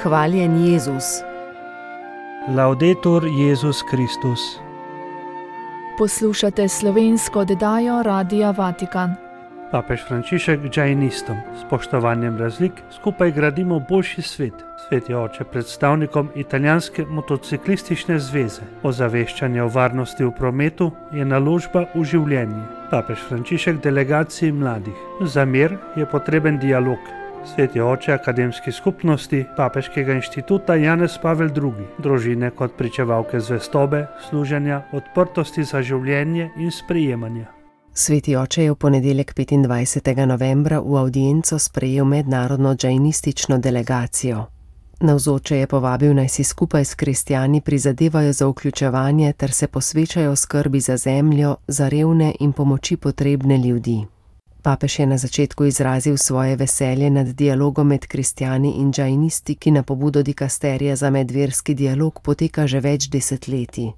Hvaljen Jezus. Laudetur Jezus Kristus. Poslušate slovensko oddajo Radia Vatikan. Papež Frančišek džainistom, spoštovanjem razlik, skupaj gradimo boljši svet. Sveti oče predstavnikom italijanske motociklistične zveze. Ozaveščanje o varnosti v prometu je naložba v življenje. Papež Frančišek delegaciji mladih. Za mir je potreben dialog. Sveti oče akademski skupnosti Papeškega inštituta Janez Pavel II. Družine kot pričevalke zvestobe, služenja, odprtosti za življenje in sprejemanja. Sveti oče je v ponedeljek 25. novembra v avdienco sprejel mednarodno džainistično delegacijo. Navzoče je povabil, naj si skupaj s kristjani prizadevajo za vključevanje ter se posvečajo skrbi za zemljo, za revne in pomoči potrebne ljudi. Papež je na začetku izrazil svoje veselje nad dialogom med kristjani in džainisti, ki na pobudo dikasterija za medverski dialog poteka že več desetletij.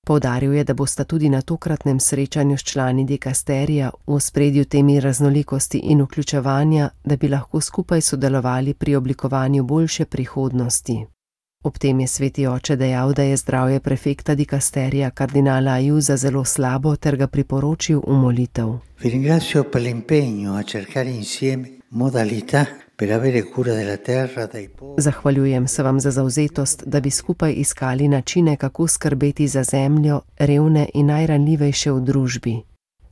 Poudaril je, da bosta tudi na tokratnem srečanju s člani dikasterija v ospredju temi raznolikosti in vključevanja, da bi lahko skupaj sodelovali pri oblikovanju boljše prihodnosti. Ob tem je sveti oče dejal, da je zdravje prefekta dikasterija kardinala Ajuza zelo slabo ter ga priporočil v molitev. Vi ringrazio per l'impegno a cercare insieme modalità per avere cura della terra dai poveri. Zahvaljujem se vam za zavzetost, da bi skupaj iskali načine, kako skrbeti za zemljo, revne in najranljivejše v družbi.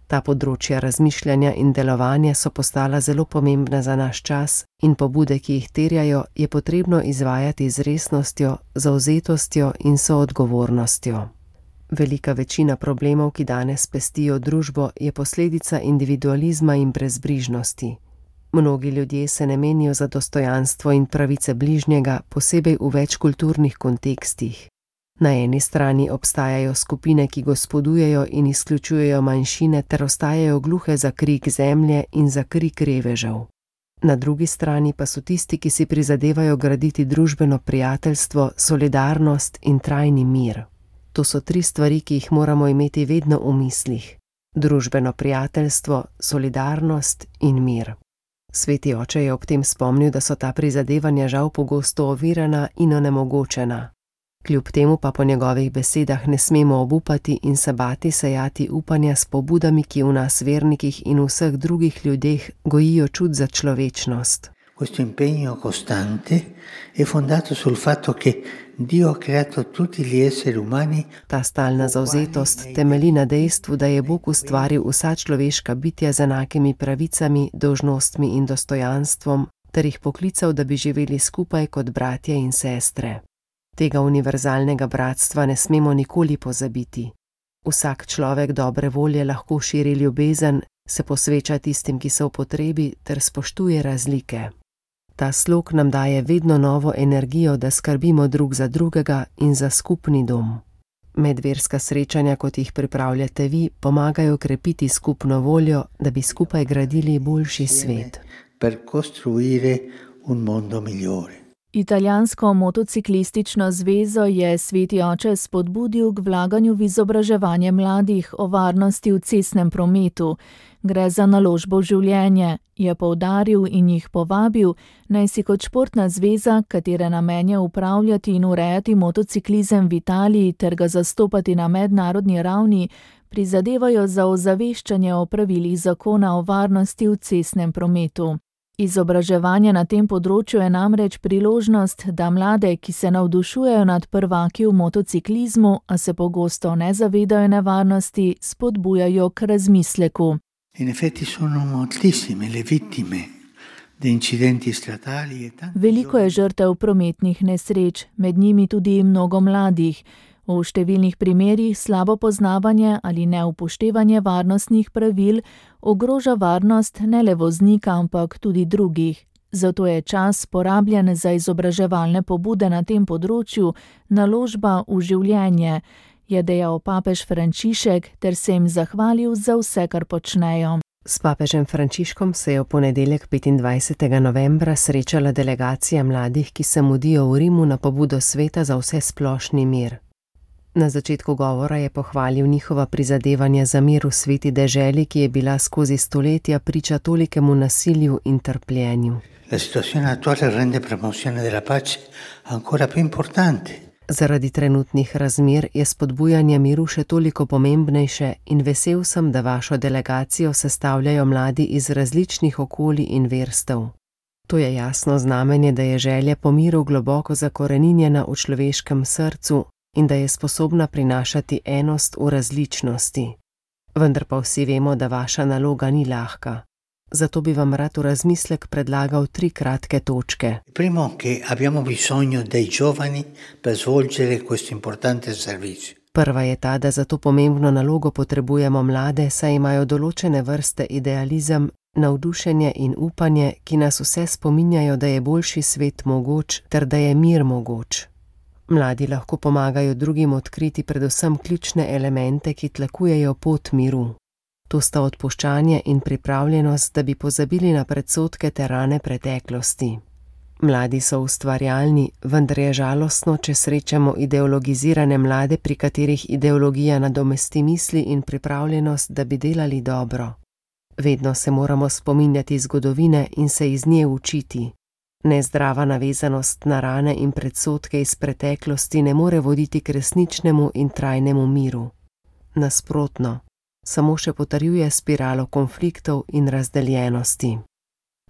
Ta področja razmišljanja in delovanja so postala zelo pomembna za naš čas in pobude, ki jih terjajo, je potrebno izvajati z resnostjo, zavzetostjo in soodgovornostjo. Velika večina problemov, ki danes pestijo družbo, je posledica individualizma in brezbrižnosti. Mnogi ljudje se ne menijo za dostojanstvo in pravice bližnjega, posebej v večkulturnih kontekstih. Na eni strani obstajajo skupine, ki gospodujejo in izključujejo manjšine ter ostajajo gluhe za krik zemlje in za krik revežev. Na drugi strani pa so tisti, ki si prizadevajo graditi družbeno prijateljstvo, solidarnost in trajni mir. To so tri stvari, ki jih moramo imeti vedno v mislih. Družbeno prijateljstvo, solidarnost in mir. Sveti oče je ob tem spomnil, da so ta prizadevanja žal pogosto ovirana in onemogočena. Kljub temu pa po njegovih besedah ne smemo obupati in se bati sejati upanja s pobudami, ki v nas vernikih in vseh drugih ljudeh gojijo čut za človečnost. Questo impegno costante è fondato sul fatto che Dio ha creato tutti gli esseri umani. Ta stalna zavzetost temelji na dejstvu, da je Bog ustvaril vsa človeška bitja z enakimi pravicami, dolžnostmi in dostojanstvom, ter jih poklical, da bi živeli skupaj kot bratje in sestre. Tega univerzalnega bratstva ne smemo nikoli pozabiti. Vsak človek dobre volje lahko širi ljubezen, se posveča tistim, ki so v potrebi, ter spoštuje razlike. Ta slog nam daje vedno novo energijo, da skrbimo drug za drugega in za skupni dom. Medverska srečanja, kot jih pripravljate vi, pomagajo krepiti skupno voljo, da bi skupaj gradili boljši svet. Per costruire un mondo migliore. Italijansko motociklistično zvezo je sveti oče spodbudil k vlaganju v izobraževanje mladih o varnosti v cestnem prometu. Gre za naložbo v življenje, je poudaril in jih povabil, naj si kot športna zveza, katere namen je upravljati in urejati motociklizem v Italiji ter ga zastopati na mednarodni ravni, prizadevajo za ozaveščanje o pravilih zakona o varnosti v cestnem prometu. Izobraževanje na tem področju je namreč priložnost, da mlade, ki se navdušujejo nad prvaki v motociklizmu, a se pogosto ne zavedajo nevarnosti, spodbujajo k razmisleku. In effetti sono moltissime le vittime di incidenti stradali e tanti. Veliko je žrtev prometnih nesreč, med njimi tudi mnogo mladih. V številnih primerih slabo poznavanje ali neupoštevanje varnostnih pravil ogroža varnost ne le voznika, ampak tudi drugih. Zato je čas porabljen za izobraževalne pobude na tem področju, naložba v življenje, je dejal papež Frančišek ter se jim zahvalil za vse, kar počnejo. S papežem Frančiškom se je v ponedeljek 25. novembra srečala delegacija mladih, ki se mudijo v Rimu na pobudo sveta za vsesplošni mir. Na začetku govora je pohvalil njihova prizadevanja za mir v sveti deželi, ki je bila skozi stoletja priča tolikemu nasilju in trpljenju. La situazione attuale rende promozione della pace ancora più importante. Zaradi trenutnih razmer je spodbujanje miru še toliko pomembnejše in vesel sem, da vašo delegacijo sestavljajo mladi iz različnih okolij in verstev. To je jasno znamenje, da je želja po miru globoko zakoreninjena v človeškem srcu in da je sposobna prinašati enost v različnosti. Vendar pa vsi vemo, da vaša naloga ni lahka. Zato bi vam rad v razmislek predlagal 3 kratke točke. Primo, che abbiamo bisogno dei giovani per svolgere questo importante servizio. Prva je ta, da za to pomembno nalogo potrebujemo mlade, saj imajo določene vrste idealizem, navdušenje in upanje, ki nas vse spominjajo, da je boljši svet mogoč ter da je mir mogoč. Mladi lahko pomagajo drugim odkriti predvsem ključne elemente, ki tlakujejo pot miru. To sta odpuščanje in pripravljenost, da bi pozabili na predsodke ter rane preteklosti. Mladi so ustvarjalni, vendar je žalostno, če srečamo ideologizirane mlade, pri katerih ideologija nadomesti misli in pripravljenost, da bi delali dobro. Vedno se moramo spominjati zgodovine in se iz nje učiti. Nezdrava navezanost na rane in predsodke iz preteklosti ne more voditi k resničnemu in trajnemu miru. Nasprotno, samo še potrjuje spiralo konfliktov in razdeljenosti.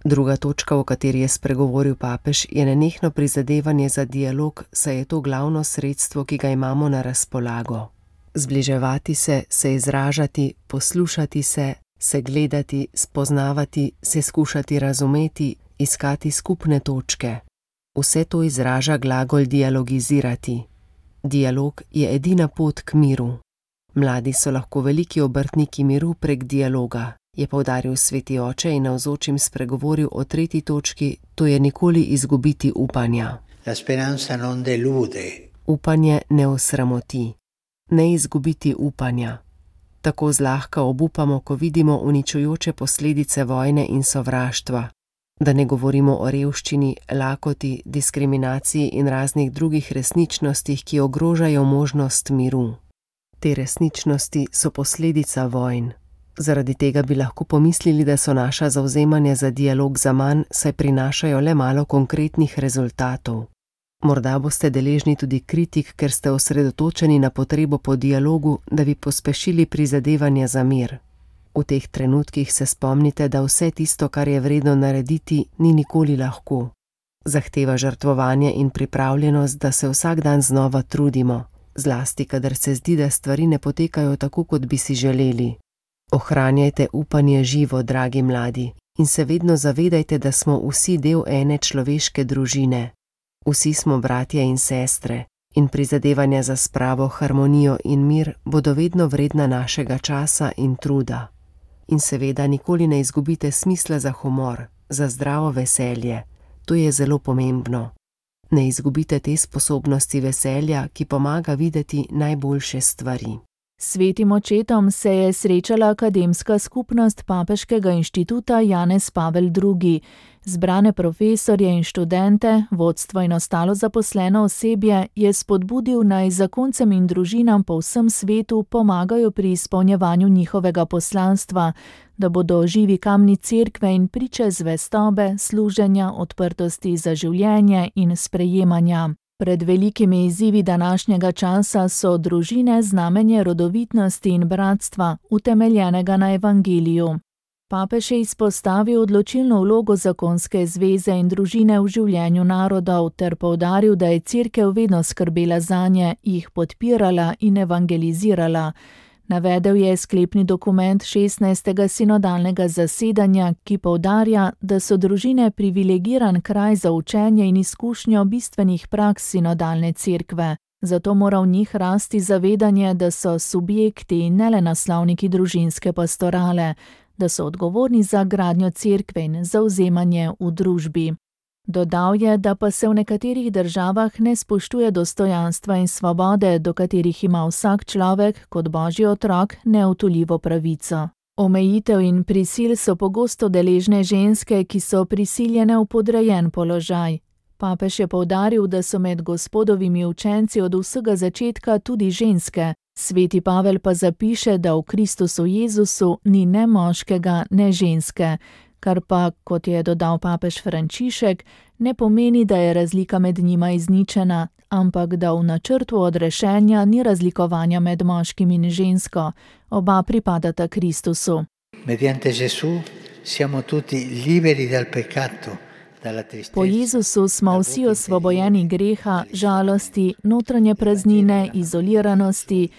Druga točka, o kateri je spregovoril papež, je nenehno prizadevanje za dialog, saj je to glavno sredstvo, ki ga imamo na razpolago. Zbliževati se izražati, poslušati se gledati, spoznavati, se skušati razumeti, iskati skupne točke. Vse to izraža glagol dialogizirati. Dialog je edina pot k miru. Mladi so lahko veliki obrtniki miru prek dialoga, je poudaril sveti oče in navzočim spregovoril o 3. točki, to je nikoli izgubiti upanja. La speranza non delude. Upanje ne osramoti. Ne izgubiti upanja. Tako zlahka obupamo, ko vidimo uničujoče posledice vojne in sovraštva. Da ne govorimo o revščini, lakoti, diskriminaciji in raznih drugih resničnostih, ki ogrožajo možnost miru. Te resničnosti so posledica vojn. Zaradi tega bi lahko pomislili, da so naša zavzemanja za dialog zaman, saj prinašajo le malo konkretnih rezultatov. Morda boste deležni tudi kritik, ker ste osredotočeni na potrebo po dialogu, da bi pospešili prizadevanja za mir. V teh trenutkih se spomnite, da vse tisto, kar je vredno narediti, ni nikoli lahko. Zahteva žrtvovanje in pripravljenost, da se vsak dan znova trudimo, zlasti kadar se zdi, da stvari ne potekajo tako, kot bi si želeli. Ohranjajte upanje živo, dragi mladi, in se vedno zavedajte, da smo vsi del ene človeške družine. Vsi smo bratje in sestre in prizadevanja za spravo, harmonijo in mir bodo vedno vredna našega časa in truda. In seveda nikoli ne izgubite smisla za humor, za zdravo veselje. To je zelo pomembno. Ne izgubite te sposobnosti veselja, ki pomaga videti najboljše stvari. Svetim očetom se je srečala akademska skupnost Papeškega inštituta Janez Pavel II. Zbrane profesorje in študente, vodstvo in ostalo zaposleno osebje je spodbudil, naj zakoncem in družinam po vsem svetu pomagajo pri izpolnjevanju njihovega poslanstva, da bodo živi kamni cerkve in priče zvestobe, služenja, odprtosti za življenje in sprejemanja. Pred velikimi izzivi današnjega časa so družine znamenje rodovitnosti in bratstva, utemeljenega na evangeliju. Papež je izpostavil odločilno vlogo zakonske zveze in družine v življenju narodov ter poudaril, da je cerkev vedno skrbela zanje, jih podpirala in evangelizirala. Navedel je sklepni dokument 16. sinodalnega zasedanja, ki poudarja, da so družine privilegiran kraj za učenje in izkušnjo bistvenih praks sinodalne cerkve. Zato mora v njih rasti zavedanje, da so subjekti ne le naslovniki družinske pastorale, da so odgovorni za gradnjo cerkve in zavzemanje v družbi. Dodal je, da pa se v nekaterih državah ne spoštuje dostojanstva in svobode, do katerih ima vsak človek kot božji otrok neodtujljivo pravico. Omejitev in prisil so pogosto deležne ženske, ki so prisiljene v podrejen položaj. Papež je poudaril, da so med Gospodovimi učenci od vsega začetka tudi ženske. Sveti Pavel pa zapiše, da v Kristusu Jezusu ni ne moškega, ne ženske, kar pa, kot je dodal papež Frančišek, ne pomeni, da je razlika med njima izničena, ampak da v načrtu odrešenja ni razlikovanja med moškim in žensko, oba pripadata Kristusu. Mediante Gesù siamo tutti liberi dal peccato. Po Jezusu smo vsi osvobojeni greha, žalosti, notranje praznine, izoliranosti.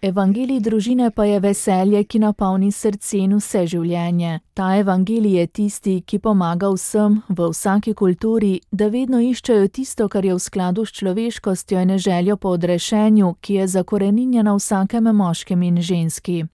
Evangelij družine pa je veselje, ki napolni srce in vse življenje. Ta evangelij je tisti, ki pomaga vsem, v vsaki kulturi, da vedno iščejo tisto, kar je v skladu s človeškostjo in željo po odrešenju, ki je zakoreninjena v vsakem moškem in ženski.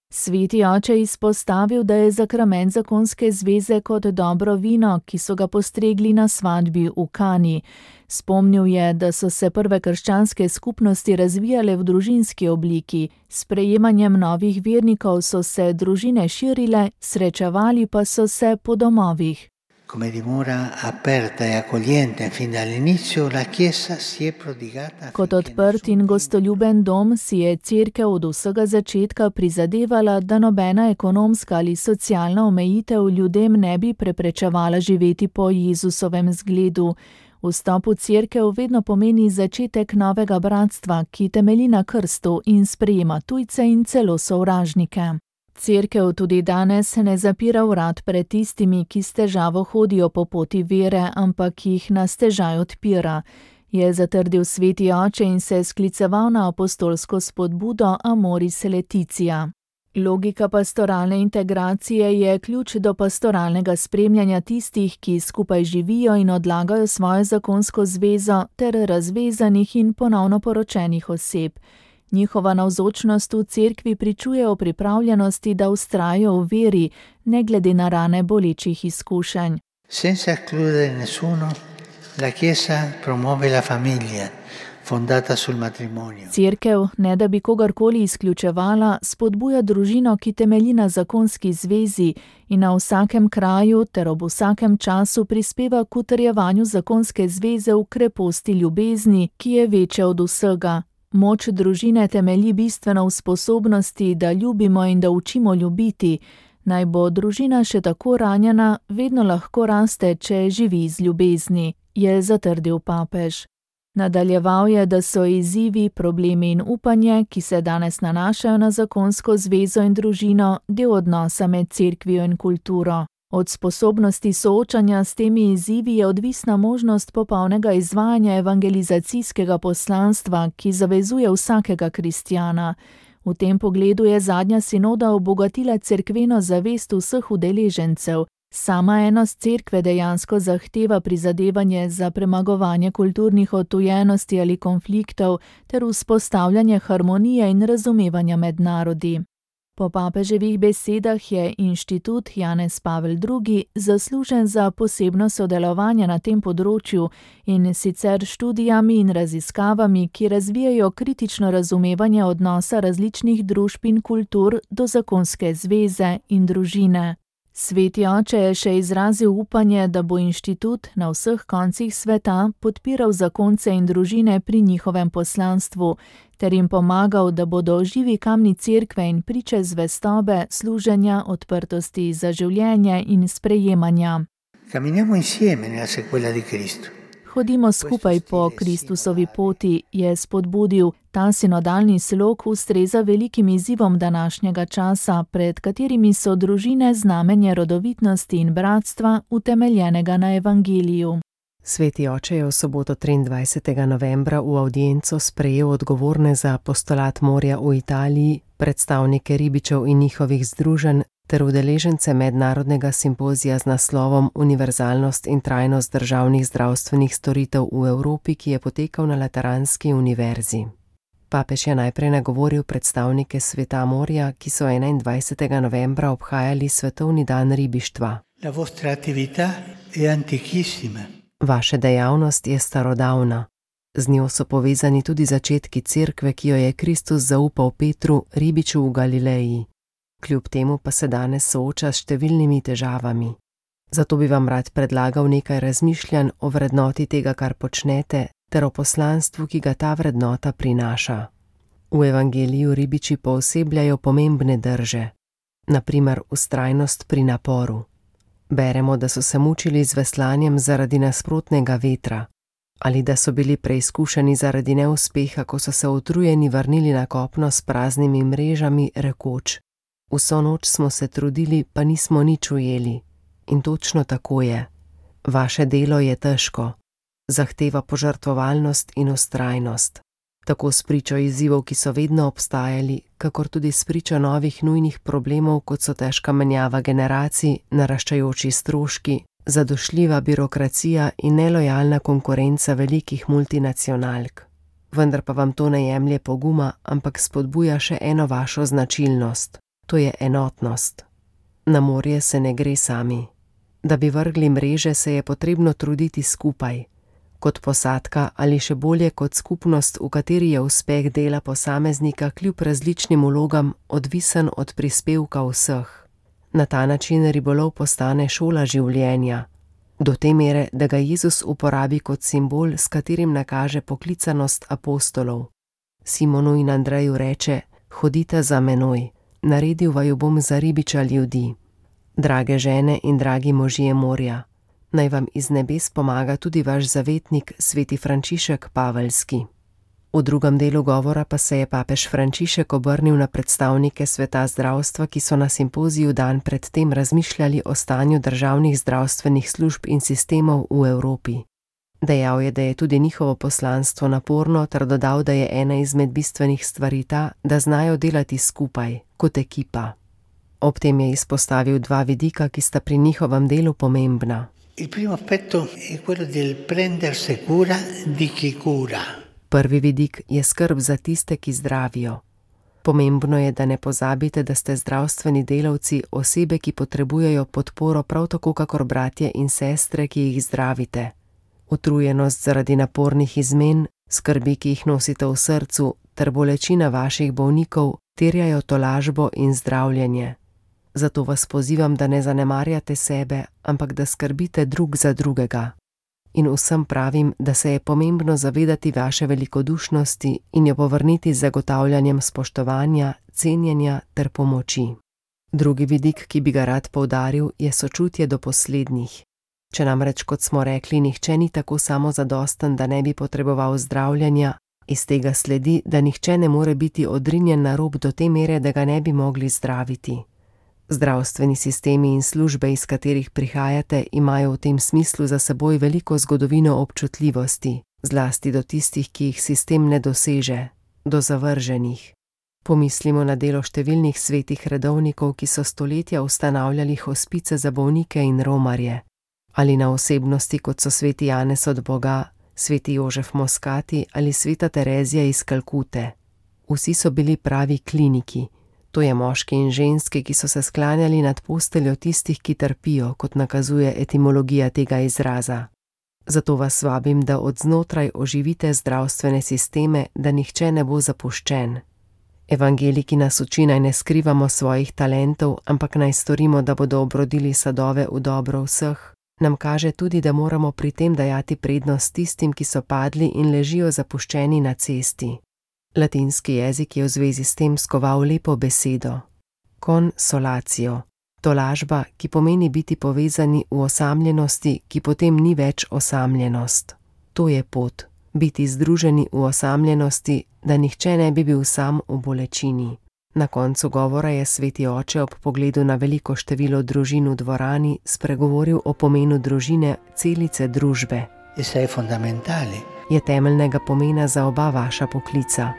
Sveti oče je izpostavil, da je sakrament zakonske zveze kot dobro vino, ki so ga postregli na svatbi v Kani. Spomnil je, da so se prve krščanske skupnosti razvijale v družinski obliki. S sprejemanjem novih vernikov so se družine širile, srečevali pa so se po domovih. Come dimora aperta e accogliente fin dall'inizio, la Chiesa si è prodigata. Kot odprt in gostoljuben dom si je Cerkev od vsega začetka prizadevala, da nobena ekonomska ali socialna omejitev ljudem ne bi preprečevala živeti po Jezusovem zgledu. Vstop v Cerkev vedno pomeni začetek novega bratstva, ki temelji na krstu in sprejema tujce in celo sovražnike. Cerkev tudi danes ne zapira vrat pred tistimi, ki s težavo hodijo po poti vere, ampak jih na stežaj odpira, je zatrdil sveti oče in se skliceval na apostolsko spodbudo Amoris Laetitia. Logika pastoralne integracije je ključ do pastoralnega spremljanja tistih, ki skupaj živijo in odlagajo svojo zakonsko zvezo, ter razvezanih in ponovno poročenih oseb. Njihova navzočnost v cerkvi pričuje o pripravljenosti, da vztrajajo v veri, ne glede na rane bolečih izkušenj. Senza escludere nessuno, la Chiesa promuove la famiglia, fondata sul matrimonio. Cerkev, ne da bi kogarkoli izključevala, spodbuja družino, ki temelji na zakonski zvezi in na vsakem kraju ter ob vsakem času prispeva k utrjevanju zakonske zveze v kreposti ljubezni, ki je večja od vsega. Moč družine temelji bistveno v sposobnosti, da ljubimo in da učimo ljubiti. Naj bo družina še tako ranjena, vedno lahko raste, če živi iz ljubezni, je zatrdil papež. Nadaljeval je, da so izzivi, problemi in upanje, ki se danes nanašajo na zakonsko zvezo in družino, del odnosa med cerkvijo in kulturo. Od sposobnosti soočanja s temi izzivi je odvisna možnost popolnega izvajanja evangelizacijskega poslanstva, ki zavezuje vsakega kristjana. V tem pogledu je zadnja sinoda obogatila cerkveno zavest vseh udeležencev. Sama enost cerkve dejansko zahteva prizadevanje za premagovanje kulturnih odtujenosti ali konfliktov ter vzpostavljanje harmonije in razumevanja med narodi. Po papeževih besedah je inštitut Janez Pavel II. Zaslužen za posebno sodelovanje na tem področju in sicer študijami in raziskavami, ki razvijajo kritično razumevanje odnosa različnih družb in kultur do zakonske zveze in družine. Sveti oče je še izrazil upanje, da bo inštitut na vseh koncih sveta podpiral zakonce in družine pri njihovem poslanstvu, ter jim pomagal, da bodo živi kamni cerkve in priče zvestobe, služenja, odprtosti za življenje in sprejemanja. Camminiamo insieme nella sequela di Cristo. Hodimo skupaj po Kristusovi poti, je spodbudil. Ta sinodalni slog ustreza velikim izzivom današnjega časa, pred katerimi so družine znamenje rodovitnosti in bratstva, utemeljenega na evangeliju. Sveti oče je v soboto 23. novembra v avdienco sprejel odgovorne za apostolat morja v Italiji, predstavnike ribičev in njihovih združenj ter udeležence mednarodnega simpozija z naslovom Univerzalnost in trajnost državnih zdravstvenih storitev v Evropi, ki je potekal na Lateranski univerzi. Papež je najprej nagovoril predstavnike sveta morja, ki so 21. novembra obhajali svetovni dan ribištva. La vostra attività è antichissima. Vaša dejavnost je starodavna. Z njo so povezani tudi začetki cerkve, ki jo je Kristus zaupal Petru, ribiču v Galileji. Kljub temu pa se danes sooča s številnimi težavami. Zato bi vam rad predlagal nekaj razmišljanj o vrednoti tega, kar počnete, ter o poslanstvu, ki ga ta vrednota prinaša. V evangeliju ribiči poosebljajo pomembne drže, na primer vztrajnost pri naporu. Beremo, da so se mučili z veslanjem zaradi nasprotnega vetra, ali da so bili preizkušeni zaradi neuspeha, ko so se utrujeni vrnili na kopno s praznimi mrežami, rekoč: vso noč smo se trudili, pa nismo nič ujeli. In točno tako je. Vaše delo je težko, zahteva požrtvovalnost in vztrajnost. Tako spričo izzivov, ki so vedno obstajali, kakor tudi spričo novih nujnih problemov, kot so težka menjava generacij, naraščajoči stroški, zadošljiva birokracija in nelojalna konkurenca velikih multinacionalk. Vendar pa vam to ne jemlje poguma, ampak spodbuja še eno vašo značilnost, to je enotnost. Na morje se ne gre sami. Da bi vrgli mreže, se je potrebno truditi skupaj. Kot posadka ali še bolje kot skupnost, v kateri je uspeh dela posameznika kljub različnim vlogam odvisen od prispevka vseh. Na ta način ribolov postane šola življenja, do te mere, da ga Jezus uporabi kot simbol, s katerim nakaže poklicanost apostolov. Simonu in Andreju reče: hodite za menoj, naredil vaju bom za ribiča ljudi. Drage žene in dragi možje morja, naj vam iz nebes pomaga tudi vaš zavetnik, sveti Frančišek Paveljski. V drugem delu govora pa se je papež Frančišek obrnil na predstavnike sveta zdravstva, ki so na simpoziju dan pred tem razmišljali o stanju državnih zdravstvenih služb in sistemov v Evropi. Dejal je, da je tudi njihovo poslanstvo naporno, ter dodal, da je ena izmed bistvenih stvari ta, da znajo delati skupaj, kot ekipa. Ob tem je izpostavil dva vidika, ki sta pri njihovem delu pomembna. Il primo aspetto è quello del prendersi cura di chi cura. Prvi vidik je skrb za tiste, ki zdravijo. Pomembno je, da ne pozabite, da ste zdravstveni delavci, osebe, ki potrebujejo podporo prav tako kakor bratje in sestre, ki jih zdravite. Utrujenost zaradi napornih izmen, skrbi, ki jih nosite v srcu, ter bolečina vaših bolnikov terjajo tolažbo in zdravljenje. Zato vas pozivam, da ne zanemarjate sebe, ampak da skrbite drug za drugega. In vsem pravim, da se je pomembno zavedati vaše velikodušnosti in jo povrniti z zagotavljanjem spoštovanja, cenjenja ter pomoči. Drugi vidik, ki bi ga rad poudaril, je sočutje do poslednjih. Če namreč, kot smo rekli, nihče ni tako samozadosten, da ne bi potreboval zdravljenja, iz tega sledi, da nihče ne more biti odrinjen na rob do te mere, da ga ne bi mogli zdraviti. Zdravstveni sistemi in službe, iz katerih prihajate, imajo v tem smislu za seboj veliko zgodovino občutljivosti, zlasti do tistih, ki jih sistem ne doseže, do zavrženih. Pomislimo na delo številnih svetih redovnikov, ki so stoletja ustanavljali hospice za bolnike in romarje, ali na osebnosti, kot so sveti Janez od Boga, sveti Jožef Moskati ali sveta Terezija iz Kalkute. Vsi so bili pravi kliniki. To je moški in ženske, ki so se sklanjali nad posteljo tistih, ki trpijo, kot nakazuje etimologija tega izraza. Zato vas vabim, da od znotraj oživite zdravstvene sisteme, da nihče ne bo zapuščen. Evangeliki nas uči, naj ne skrivamo svojih talentov, ampak naj storimo, da bodo obrodili sadove v dobro vseh. Nam kaže tudi, da moramo pri tem dajati prednost tistim, ki so padli in ležijo zapuščeni na cesti. Latinski jezik je v zvezi s tem skoval lepo besedo. Consolatio, tolažba, ki pomeni biti povezani v osamljenosti, ki potem ni več osamljenost. To je pot, biti združeni v osamljenosti, da nihče ne bi bil sam v bolečini. Na koncu govora je sveti oče ob pogledu na veliko število družin v dvorani spregovoril o pomenu družine, celice družbe. Je temeljnega pomena za oba vaša poklica.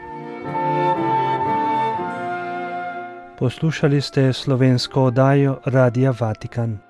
Poslušali ste slovensko oddajo Radia Vatikan.